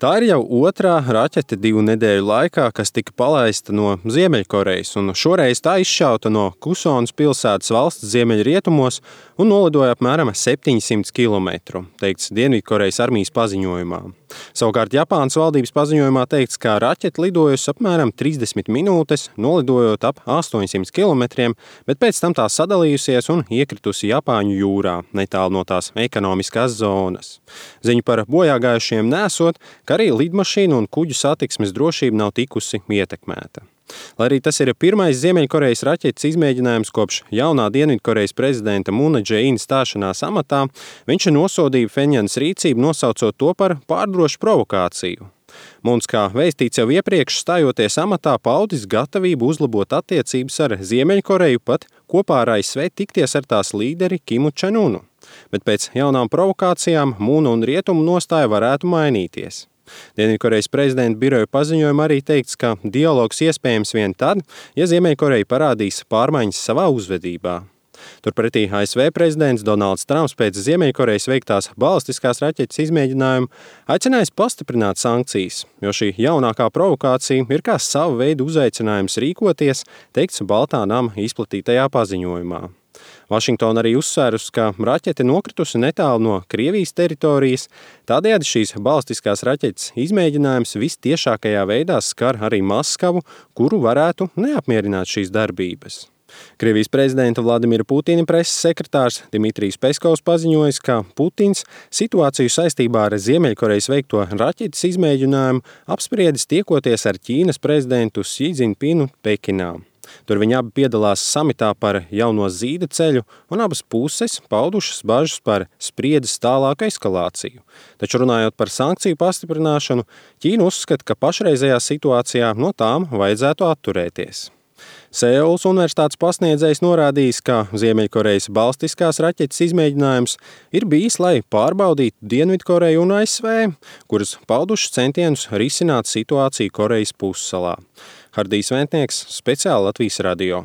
Tā ir jau otrā raķete 2 nedēļu laikā, kas tika palaista no Ziemeļkorejas, un šoreiz tā izšauta no Kusonas pilsētas valsts ziemeļrietumos un nolidoja apmēram 700 km, teikts Dienvidkorejas armijas paziņojumā. Savukārt Japānas valdības paziņojumā teikts, ka raķete lidojusi apmēram 30 minūtes, nolidojot ap 800 km, bet pēc tam tā sadalījusies un iekritusi Japāņu jūrā, netālu no tās ekonomiskās zonas. Ziņu par bojāgājušiem nesot, ka arī lidmašīnu un kuģu satiksmes drošība nav tikusi ietekmēta. Lai arī tas ir pirmais Ziemeļkorejas raķetes izmēģinājums kopš jaunā Dienvidkorejas prezidenta Mūna Džeīna stāšanās amatā, viņš nosodīja Phenjanas rīcību, nosaucot to par pārdrošu provokāciju. Mūns, kā vēstīts jau iepriekš, stājoties amatā, paudis gatavību uzlabot attiecības ar Ziemeļkoreju, pat kopā ar ASV tikties ar tās līderi Kimu Čenunu. Bet pēc jaunām provokācijām Mūna un rietumu nostāja varētu mainīties. Dienvidkorejas prezidenta biroja paziņojumā arī teikts, ka dialogs iespējams vien tad, ja Ziemeļkoreja parādīs pārmaiņas savā uzvedībā. Turpretī ASV prezidents Donalds Trumps pēc Ziemeļkorejas veiktās balistiskās raķetes izmēģinājumu aicinājis pastiprināt sankcijas, jo šī jaunākā provokācija ir kā sava veida uzaicinājums rīkoties, teikts Baltā nama izplatītajā paziņojumā. Vašingtona arī uzsvērusi, ka raķete nokritusi netālu no Krievijas teritorijas, tādējādi šīs balistiskās raķetes izmēģinājums vistiešākajā veidā skar arī Maskavu, kuru varētu neapmierināt šīs darbības. Krievijas prezidenta Vladimira Putina preses sekretārs Dmitrijs Peskovs paziņojis, ka Putins situāciju saistībā ar Ziemeļkorejas veikto raķetes izmēģinājumu apspriedis tiekoties ar Ķīnas prezidentu Xi Jinpingu Pekinā. Tur viņi abi piedalās samitā par jauno zīda ceļu, un abas puses paudušas bažas par spriedzes tālāku eskalāciju. Taču runājot par sankciju pastiprināšanu, Ķīna uzskata, ka pašreizējā situācijā no tām vajadzētu atturēties. Seulas universitātes pasniedzējs norādījis, ka Ziemeļkorejas balistiskās raķetes izmēģinājums ir bijis, lai pārbaudītu Dienvidkoreju un ASV, kuras paudušas centienus risināt situāciju Korejas pussalā. Hardijs Ventnieks, speciāli Latvijas radio.